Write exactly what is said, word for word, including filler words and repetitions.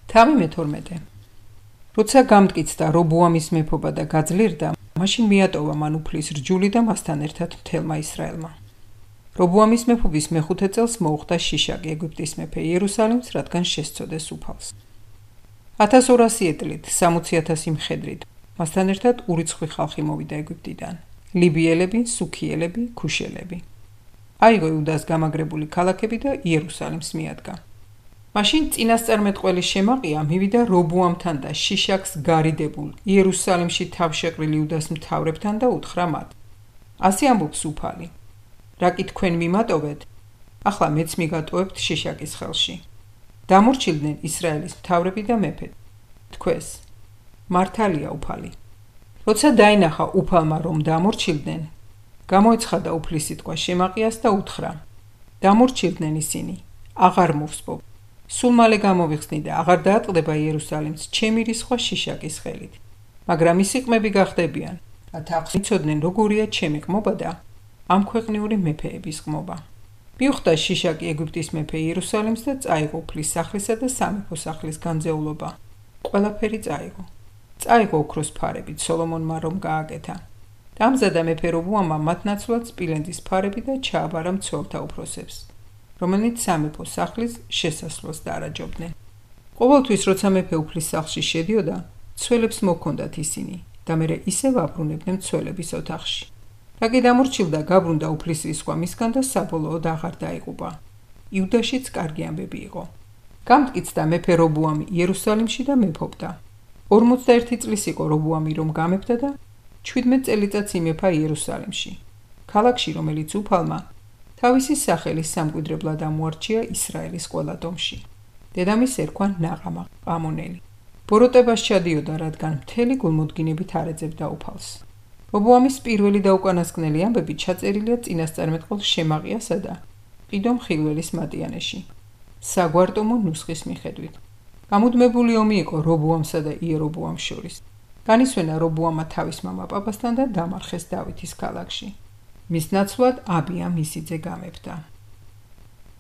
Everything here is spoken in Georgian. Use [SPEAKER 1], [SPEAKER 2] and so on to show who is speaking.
[SPEAKER 1] თავი მეთორმეტე. როცა გამტკიცდა რობოამის მეფობა და გაძლიერდა, მაშინ მიატოვა მან უფლის რჯული და მასთან ერთად მთელმა ისრაელმა. რობოამის მეფობის მეხუთე წელს მოუხდა შიშაკი ეგვიპტის მეფე იერუსალიმს, რადგან შესწოდეს უფალს. ათას ორასი ეტლით, სამოცი ათასი მხედრით, მასთან ერთად ურიცხვი ხალხი მოვიდა ეგვიპტიდან: ლიბიელები, სუქიელები, ქუშელები. აიღო იუდას გამაგრებული ქალაქები და იერუსალიმს მიადგა. მაშინ წინასწარმეტყველი შემაყია მივიდა რობოამთან და შიშაკს გარიდებულ იერუსალიმში თავშეყრილ იუდას მთავრებთან და უთხრა მათ: ასე ამბობს უფალი, რა კი თქვენ მიმატოვეთ, ახლა მეც მიგატოვებთ შიშაკის ხელში. დამორჩილდნენ ისრაელის მთავრები და მეფე. თქვეს: მართალია უფალი. როცა დაინახა უფალმა, რომ დამორჩილდნენ, გამოეცხადა უფლის სიტყვა შემაყიას და უთხრა: დამორჩილდნენ ისინი, აღარ მოვსპობ. სულ მალე გამოვიხსნი და აღარ დაატყდება იერუსალიმს ჩემი რისხვა შიშაკის ხელით. მაგრამ ისი ყმები გახდებიან, რათა აღიცოდნენ როგორია ჩემი ყმობა და ამ ქვეყნიური მეფეების ყმობა. მიუხვდა შიშაკი ეგვიპტის მეფე იერუსალიმს და წაიღო უფლის სახლისა და სამეფო სახლის განძეულობა. ყველაფერი წაიღო. წაიღო ოქროს ფარებით სოლომონმა რომ გააკეთა. დამზადა მეფე რობოამმა მათ ნაცვლად სპილენძის ფარები და ჩააბარა მცველთა უფროსებს, რომელნიც სამეფო სახლის შესასვლელს დაარაჯობდნენ. ყოველთვის როცა მეფე უფლის სახლში შედიოდა, მცველებს მოჰქონდათ ისინი და მერე ისევ აბრუნებდნენ მცველების ოთახში. რა კი დამორჩილდა, გაბრუნდა უფლის რისხვა მისგან და საბოლოოდ აღარ დაიღუპა. იუდაშიც კარგი ამბები იყო. გამტკიცდა მეფე რობოამი იერუსალიმში და მეფობდა. ორმოცდაერთი წლის იყო რობოამი რომ გამეფდა და ჩვიდმეტ წელიწადს იმეფა იერუსალიმში, ქალაქში, რომელიც უფალმა თავისი სახელის სამკვიდრებლად ამოარჩია ისრაელის ყველა ტომში. დედამის ერქვა ნაღამა ყამონელი. ბოროტებას ჩადიოდა, რადგან მთელი გულმოდგინებით არ ეძებდა უფალს. რობოამის პირველი და უკანასკნელი ამბები ჩაწერილია წინასწარმეტყველს შემაყიასა და ყიდო მხილველის მატიანეში, საგვარტომო ნუსხის მიხედვით. გამუდმებული ომი იყო რობოამსა და იერობოამს შორის. განისვენა რობოამმა თავის მამა პაპასთან და დამარხეს დავითის ქალაქში. მის ნაცვლად აბია მისი ძე გამეფდა.